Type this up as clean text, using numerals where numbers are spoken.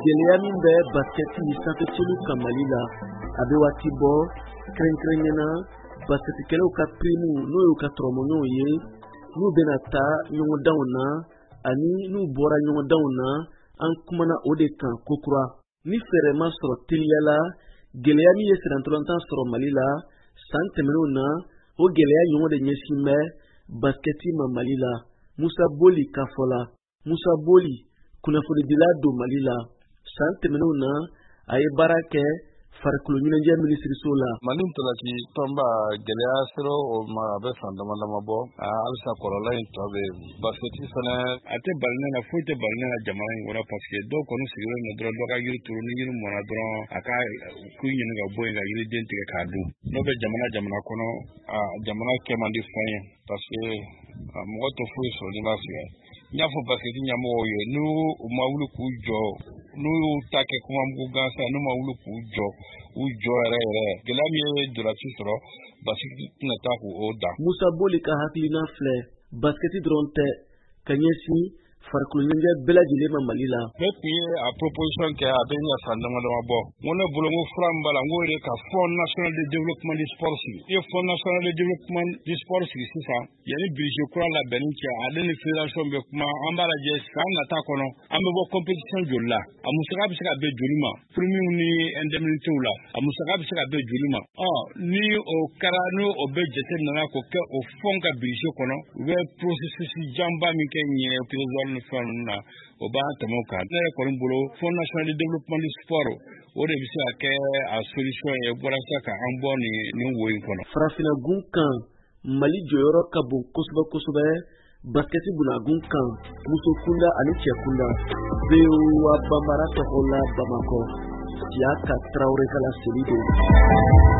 Gɛlɛya min bɛ basikɛti sanfɛcelu kan Mali la, a bɛ waati bɔ, kɛrɛnkɛrɛnnenya na basikɛtikɛlaw ka pirimu, n'o y'u ka tɔrɔmɔɲɔgɔnw ye, n'u bɛna taa ɲɔgɔndanw na ani n'u bɔra ɲɔgɔndanw na, an kumana o de kan kokura. Ni fɛɛrɛ ma sɔrɔ teliya la, gɛlɛya min ye sennantolatan sɔrɔ Mali la san tɛmɛnenw na, o gɛlɛya ɲɔgɔn de ɲɛsin bɛ basikɛti ma Mali la. Musa Boli ka fɔ la, Musa Boli, kunnafonidila don Mali la, san tɛmɛnenw na a ye baara kɛ farikolo ɲɛnajɛ minisiriso la. Mali ntolaci tɔnba, gɛlɛya sera o ma, a bɛ san dama dama bɔ. Halisa kɔlɔlɔ in tɔ bɛ yen. Basikɛti fana, a tɛ bali ne na, foyi tɛ bali ne na jamana in kɔnɔ, parce que dɔw kɔni sigilen don dɔrɔn, dɔ ka yiri turu, ni yiri mɔnna dɔrɔn, a ka k'u ɲini ka bɔ yen ka yiriden tigɛ k'a dun. N'o bɛ jamana jamana kɔnɔ, a jamana kɛ man di fɛn ye, parce que mɔgɔ tɛ foyi sɔrɔ n'i ma sɛgɛn. N y'a fɔ basikɛti ɲɛmɔgɔw ye, n'u ma wuli k'u jɔ, n'u y'u ta kɛ kuma mugu gansan, n'u ma wuli k'u jɔ, u jɔ yɛrɛ yɛrɛ, gɛlɛya min ye ntolaci sɔrɔ, basikɛti tɛna taa k'o dan. Musa Boli ka hakilina filɛ, basikɛti dɔrɔn tɛ, ka ɲɛsin farikolo ɲɛnajɛ bɛɛ lajɛlen ma Mali la. Ne tun ye a proposition kɛ, a bɛ ɲɛ san dama dama bɔ. N ko ne bolo, n ko fura min b'a la, n k'o de ka Fonds national de développement du sport sigi. I ye Fonds national de développement du sport sigi sisan, yanni budget kura labɛnni cɛ, ale ni fédération bɛ kuma, an b'a lajɛ san nata kɔnɔ an bɛ bɔ compétition joli la, a musaka bɛ se ka bɛn joli ma, primes ni indemnités la, a musaka bɛ se ka bɛn joli ma. Ɔ ni o kɛra, ni o bɛ jate minɛ k'o kɛ o fonds ka budget kɔnɔ, u bɛ processus janba min kɛ ɲɛ trésor ni fɛn ninnu na, o b'an tɛmɛ o kan. Ne yɛrɛ kɔni bolo, Fonds national de développement du sport, o de bɛ se ka kɛ a solution ye walasa ka an bɔ nin wo in kɔnɔ. Farafinna gun kan, Mali jɔyɔrɔ ka bon kosɛbɛ kosɛbɛ basikɛti bunagun kan, muso kunda ani cɛ kunda. VOA Banbara tɔgɔ la Bamakɔ, Siyaka Tarawele ka laseli don.